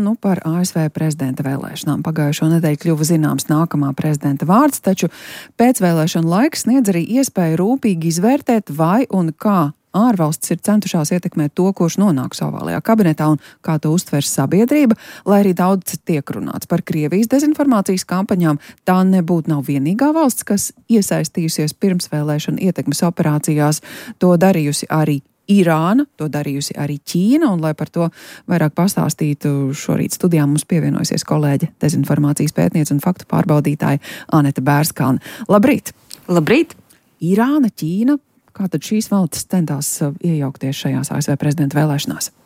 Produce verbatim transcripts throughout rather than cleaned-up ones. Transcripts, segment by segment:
Nu, par A S V prezidenta vēlēšanām pagājušo nedēļu kļuva zināms nākamā prezidenta vārds, taču pēcvēlēšana laiks sniedz arī iespēju rūpīgi izvērtēt, vai un kā ārvalstis ir centušās ietekmēt to, kurš nonāks ovālajā kabinetā un kā to uztvers sabiedrība, lai arī daudz tiek runāts par Krievijas dezinformācijas kampaņām. Tā nebūtu nav vienīgā valsts, kas iesaistījusies pirmsvēlēšana ietekmes operācijās, to darījusi arī Irāna, to darījusi arī Ķīna, un lai par to vairāk pastāstītu, šorīt studijā mums pievienojusies kolēģe, dezinformācijas pētniece un faktu pārbaudītāja Anete Bērskalne. Labrīt! Labrīt! Irāna, Ķīna, kā tad šīs valstis centās iejaukties šajās A S V prezidenta vēlēšanās?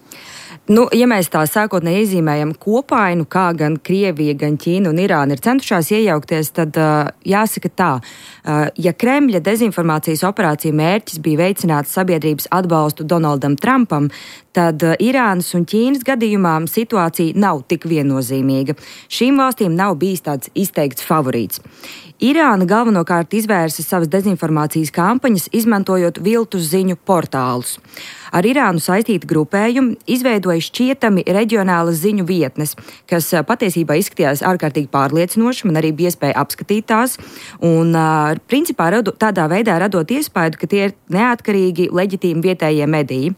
Nu, ja mēs tā sākotnēji iezīmējam kopainu, kā gan Krievija, gan Ķīna un Irāna ir centušās iejaukties, tad uh, jāsaka tā, uh, ja Kremļa dezinformācijas operācija mērķis bija veicināt sabiedrības atbalstu Donaldam Trumpam, tad uh, Irānas un Ķīnas gadījumā situācija nav tik viennozīmīga. Šīm valstīm nav bijis tāds izteikts favorīts. Irāna galvenokārt izvērsa savas dezinformācijas kampaņas, izmantojot viltus ziņu portālus. Ar Irānu saistīti grupējumi izveidoja šķietami reģionālas ziņu vietnes, kas patiesībā izskatījās ārkārtīgi pārliecinoši, man arī bija iespēja apskatīt tās, un principā radu, tādā veidā radot iespēju, ka tie ir neatkarīgi, leģitīmi vietējie mediji.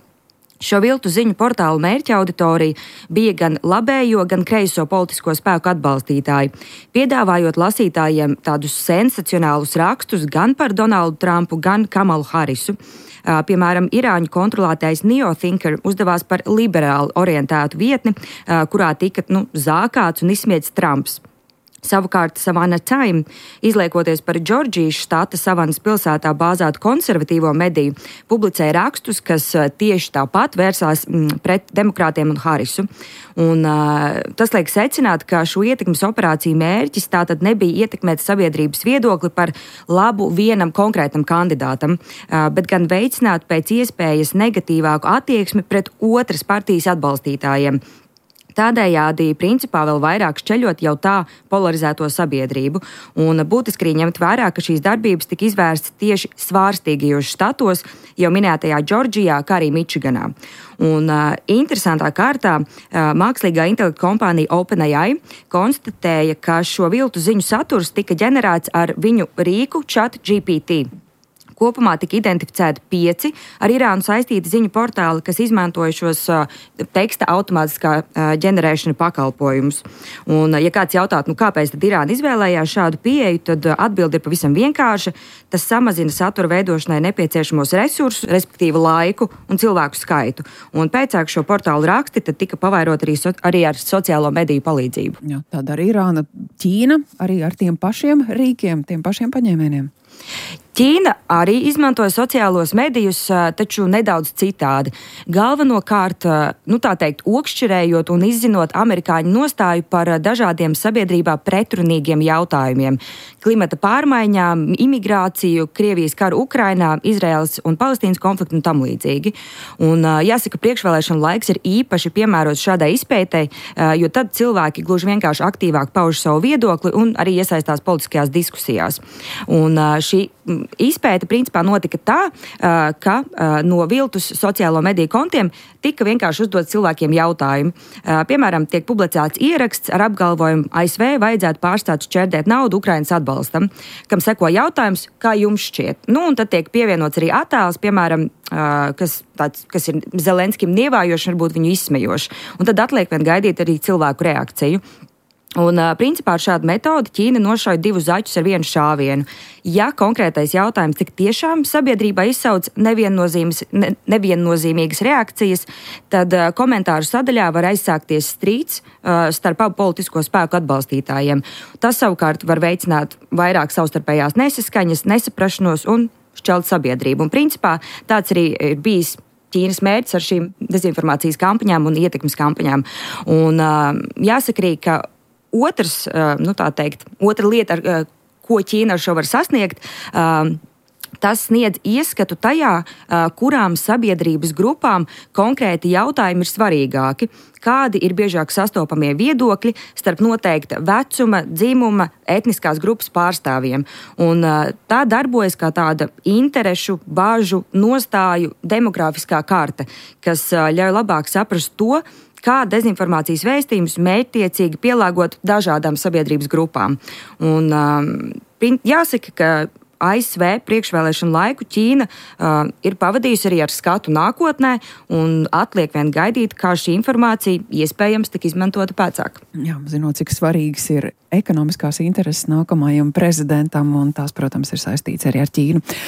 Šo viltu ziņu portālu mērķa auditorija bija gan labējo, gan kreiso politisko spēku atbalstītāji, piedāvājot lasītājiem tādus sensacionālus rakstus gan par Donaldu Trumpu, gan Kamalu Harisu. Piemēram, Irāņu kontrolētais NeoThinker uzdevās par liberāli orientētu vietni, kurā tika nu, zākāts un izsmiedz Trumps. Savukārt Savannah Time, izliekoties par Džordžijas štata Savanas pilsētā bāzētu konservatīvo mediju, publicēja rakstus, kas tieši tāpat vērsās pret demokrātiem un Harisu. Un, uh, tas liek secināt, ka šo ietekmes operāciju mērķis tātad nebija ietekmēt sabiedrības viedokli par labu vienam konkrētam kandidātam, uh, bet gan veicināt pēc iespējas negatīvāku attieksmi pret otras partijas atbalstītājiem. Tādējādi principā vēl vairāk šķeļot jau tā polarizēto sabiedrību. Un būtiski arī ņemt vērā, ka šīs darbības tika izvērstas tieši svārstīgajos štatos, jau minētajā Džordžijā, kā arī Mičiganā. Un uh, interesantā kārtā uh, mākslīgā intelekta kompānija OpenAI konstatēja, ka šo viltu ziņu saturs tika ģenerēts ar viņu rīku ChatGPT. Kopumā tika identificēti pieci ar Irānu saistīti ziņu portāli, kas izmantoja šos uh, teksta automātiskā uh, ģenerēšana pakalpojumus. Un, uh, ja kāds jautātu, nu kāpēc tad Irāna izvēlējās šādu pieeju, tad uh, atbilde ir pavisam vienkārša. Tas samazina satura veidošanai nepieciešamos resursus, respektīvi laiku un cilvēku skaitu. Un pēcāk šo portālu raksti tad tika pavairot arī, so, arī ar sociālo mediju palīdzību. Jā, tāda arī Irāna, Ķīna, arī ar tiem pašiem rīkiem, tiem pašiem paņēmieniem. Ķīna arī izmantoja sociālos medijus, taču nedaudz citādi. Galvenokārt, nu tā teikt, okšķirējot un izzinot amerikāņu nostāju par dažādiem sabiedrībā pretrunīgiem jautājumiem. Klimata pārmaiņām, imigrāciju, Krievijas karu Ukrainā, Izraēlas un Palestīnas konfliktu un tam līdzīgi. Un jāsaka, priekšvēlēšana laiks ir īpaši piemērots šādai izpētei, jo tad cilvēki gluži vienkārši aktīvāk pauž savu viedokli un arī iesaistās politiskajās diskusijās. Un šī izpēte principā notika tā, ka no viltus sociālo mediju kontiem tika vienkārši uzdot cilvēkiem jautājumi. Piemēram, tiek publicēts ieraksts ar apgalvojumu A S V vajadzētu pārstāt šķērdēt naudu Ukrainas atbalstam, kam seko jautājums, kā jums šķiet. Nu, un tad tiek pievienots arī attēls, piemēram, kas, tāds, kas ir Zelenskim nievājoši, varbūt viņu izsmejoši. Un tad atliek vien gaidīt arī cilvēku reakciju. Un, principā, ar šādu metodi Ķīna nošauja divus zaķus ar vienu šāvienu. Ja konkrētais jautājums tik tiešām sabiedrībā izsauc neviennozīmes, ne, neviennozīmīgas reakcijas, tad uh, komentāru sadaļā var aizsākties strīds uh, starp abu politisko spēku atbalstītājiem. Tas savukārt var veicināt vairāk savstarpējās nesaskaņas, nesaprašanos un šķelt sabiedrību. Un, principā, tāds arī ir bijis Ķīnas mērķis ar šīm dezinformācijas kampaņām un ietekmes kampaņām. Un uh, jāsaka arī, ka Otrs, nu tā teikt, otra lieta, ar ko Ķīna ar šo var sasniegt, tas sniedz ieskatu tajā, kurām sabiedrības grupām konkrēti jautājumi ir svarīgāki, kādi ir biežāk sastopamie viedokļi starp noteikta vecuma, dzimuma, etniskās grupas pārstāvjiem. Un tā darbojas kā tāda interešu, bāžu, nostāju, demografiskā karta, kas ļauj labāk saprast to, kā dezinformācijas vēstījumus mērķtiecīgi pielāgot dažādām sabiedrības grupām. Un, um, jāsaka, ka A S V priekšvēlēšanu laiku Ķīna uh, ir pavadījusi arī ar skatu nākotnē, un atliek vien gaidīt, kā šī informācija iespējams tik izmantota pēcāk. Jā, zinot, cik svarīgas ir ekonomiskās intereses nākamajam prezidentam, un tās, protams, ir saistīts arī ar Ķīnu.